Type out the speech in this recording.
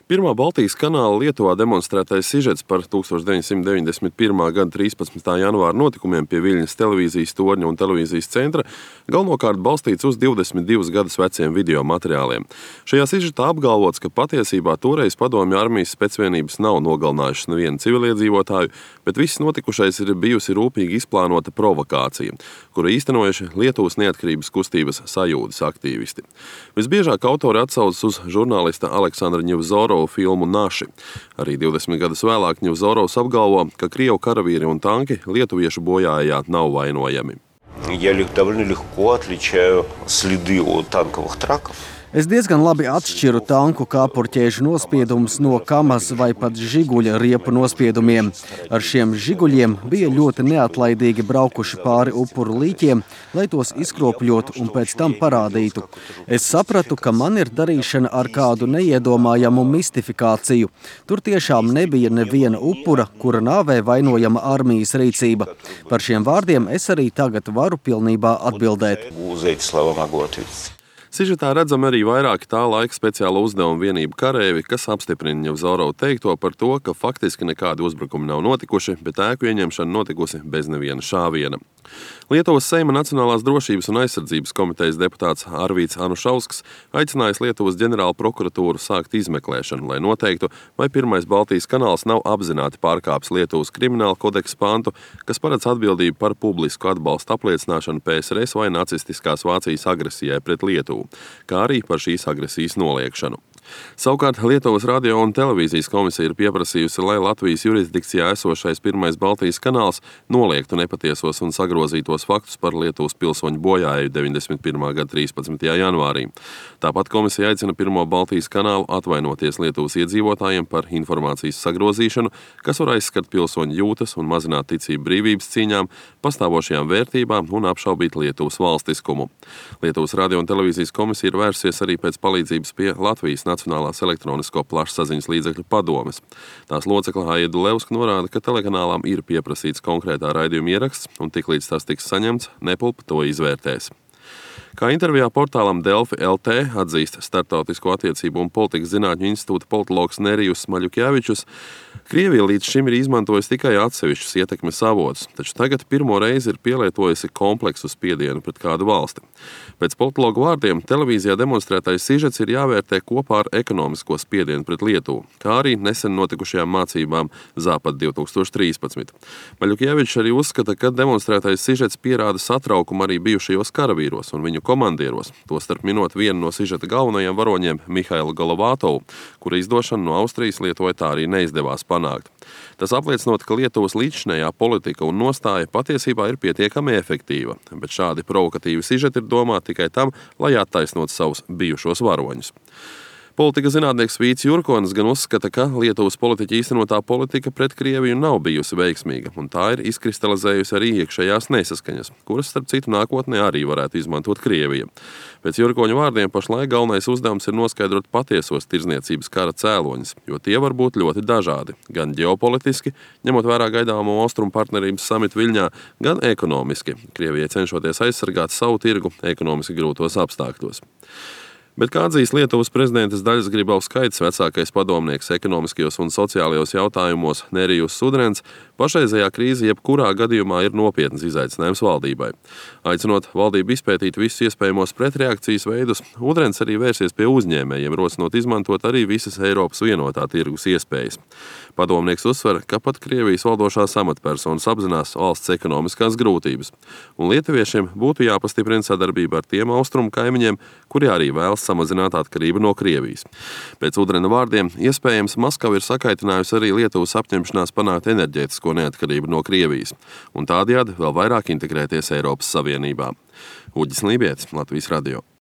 Pirmā Baltijas kanāla Lietuvā demonstrētais sižets par 1991. gada 13. janvāra notikumiem pie Viļņas televīzijas torņa un televīzijas centra galvenokārt balstīts uz 22 gadus veciem video materiāliem. Šajā sižetā apgalvots, ka patiesībā toreiz padomju armijas specvienības nav nogalinājušas nevienu civiliedzīvotāju, bet viss notikušais ir bijusi rūpīgi izplānota provokācija, kuru īstenojuši Lietuvas neatkarības kustības sajūdas aktīvisti. Visbiežāk autori atsaucas uz žurnālista Aleksandra Ņevzorovu filmu Naši. Arī 20 gadus vēlāk Ņevzorovs apgalvo, ka krievu karavīri un tanki lietuviešu bojājā nav vainojami. Я довольно легко отличаю следы от танковых траков. Es diezgan labi atšķiru tanku kāpurķēžu nospiedumus no Kamaz vai pat Žiguļa riepu nospiedumiem. Ar šiem Žiguļiem bija ļoti neatlaidīgi braukuši pāri upuru līķiem, lai tos izkropļotu un pēc tam parādītu. Es sapratu, ka man ir darīšana ar kādu neiedomājamu mistifikāciju. Tur tiešām nebija neviena upura, kura nāvē vainojama armijas rīcība. Par šiem vārdiem es arī tagad varu pilnībā atbildēt. За эти слова могу ответить. Sižetā redzam arī vairāki tā laika speciāla uzdevuma vienību karēvi, kas apstiprina Ņevzorovu teikto par to, ka faktiski nekādi uzbrukumi nav notikuši, bet ēku ieņemšana notikusi bez neviena šāviena. Lietuvas Seima Nacionālās drošības un aizsardzības komitejas deputāts Arvīds Anušausks aicinājis Lietuvas ģenerālu prokuratūru sākt izmeklēšanu, lai noteiktu, vai pirmais Baltijas kanāls nav apzināti pārkāpis Lietuvas krimināla kodeksa pantu, kas paredz atbildību par publisku atbalstu apliecināšanu PSRS vai nacistiskās Vācijas agresijai pret Lietuvu, kā arī par šīs agresijas noliekšanu. Savukārt Lietuvas radio un televīzijas komisija ir pieprasījusi, lai Latvijas jurisdikcijā esošais pirmais Baltijas kanāls noliektu nepatiesos un sagrozītos faktus par Lietuvas pilsoņu bojāju 91. gada 13. janvārī. Tāpat komisija aicina pirmo Baltijas kanālu atvainoties Lietuvas iedzīvotājiem par informācijas sagrozīšanu, kas var aizskart pilsoņu jūtas un mazināt ticību brīvības cīņām, pastāvošajām vērtībām un apšaubīt Lietuvas valstiskumu. Lietuvas radio un televīzijas komisija ir vērsies arī pēc palīdzības pie Latvijas Nacionālās elektronisko plašsaziņas līdzekļu padomes. Tās locekle Aida Levska norāda, ka telekanālām ir pieprasīts konkrētā raidījuma ieraksts, un tiklīdz tas tiks saņemts, Nepulpa to izvērtēs. Kā intervijā portālam Delfi LT atzīst Startautisko attiecību un politikas zinātņu institūta politologs Nerijus Maļukjēvičus, Krievija līdz šim ir izmantojusi tikai atsevišķus ietekmes avotus, taču tagad pirmo reizi ir pielietojusi kompleksu spiedienu pret kādu valsti. Pēc politologu vārdiem televīzijā demonstrētais sižets ir jāvērtē kopā ar ekonomisko spiedienu pret Lietuvu, kā arī nesen notikušajām mācībām Zāpad 2013. Maļukjēvičs arī uzskata, ka demonstrētais sižets pierāda satraukumu arī bijušajos karavīros un viņu komandieros, tostarp minot vienu no sižeta galvenajiem varoņiem Mihailu Golovātovu, kura izdošana no Austrijas Lietuvai tā arī neizdevās panākt. Tas apliecinot, ka Lietuvas līdzšinējā politika un nostāja patiesībā ir pietiekami efektīva, bet šādi provokatīvi sižeti ir domāti tikai tam, lai attaisnot savus bijušos varoņus. Politika zinātnieks Vīts Jurkonis gan uzskata, ka Lietuvas politiķa īstenotā politika pret Krieviju nav bijusi veiksmīga, un tā ir izkristalizējusi arī iekšējās nesaskaņas, kuras, starp citu, nākotnē arī varētu izmantot Krievija. Pēc Jurkoņa vārdiem pašlaik galvenais uzdevums ir noskaidrot patiesos tirdzniecības kara cēloņus, jo tie var būt ļoti dažādi, gan ģeopolitiski, ņemot vērā gaidāmo austrumu partnerības samitu Viļņā, gan ekonomiski, Krievijai cenšoties aizsargāt savu tirgu ekonomiski grūtos apstākļos. Bet kā atzīs Lietuvas prezidentes Daļas Grybauskaitės vecākais padomnieks ekonomiskajos un sociālajos jautājumos Nerijus Udrens, pašreizējā krīze jebkurā gadījumā ir nopietns izaicinājums valdībai. Aicinot valdību izpētīt visus iespējamos pretreakcijas veidus, Udrens arī vērsies pie uzņēmējiem, rosinot izmantot arī visas Eiropas vienotā tirgus iespējas. Padomnieks uzsver, ka pat Krievijas valdošās amatpersonas apzinās valsts ekonomiskās grūtības, un lietuviešiem būtu jāpastiprina sadarbība ar tiem austrumu kaimiņiem, kuri arī vēlas samazināt atkarību no Krievijas. Pēc Udrena vārdiem, iespējams, Maskava ir sakaitinājusi arī Lietuvas apņemšanās panākt enerģētisko neatkarību no Krievijas, un tādējādi vēl vairāk integrēties Eiropas Savienībā. Uģis Lībietis, Latvijas radio.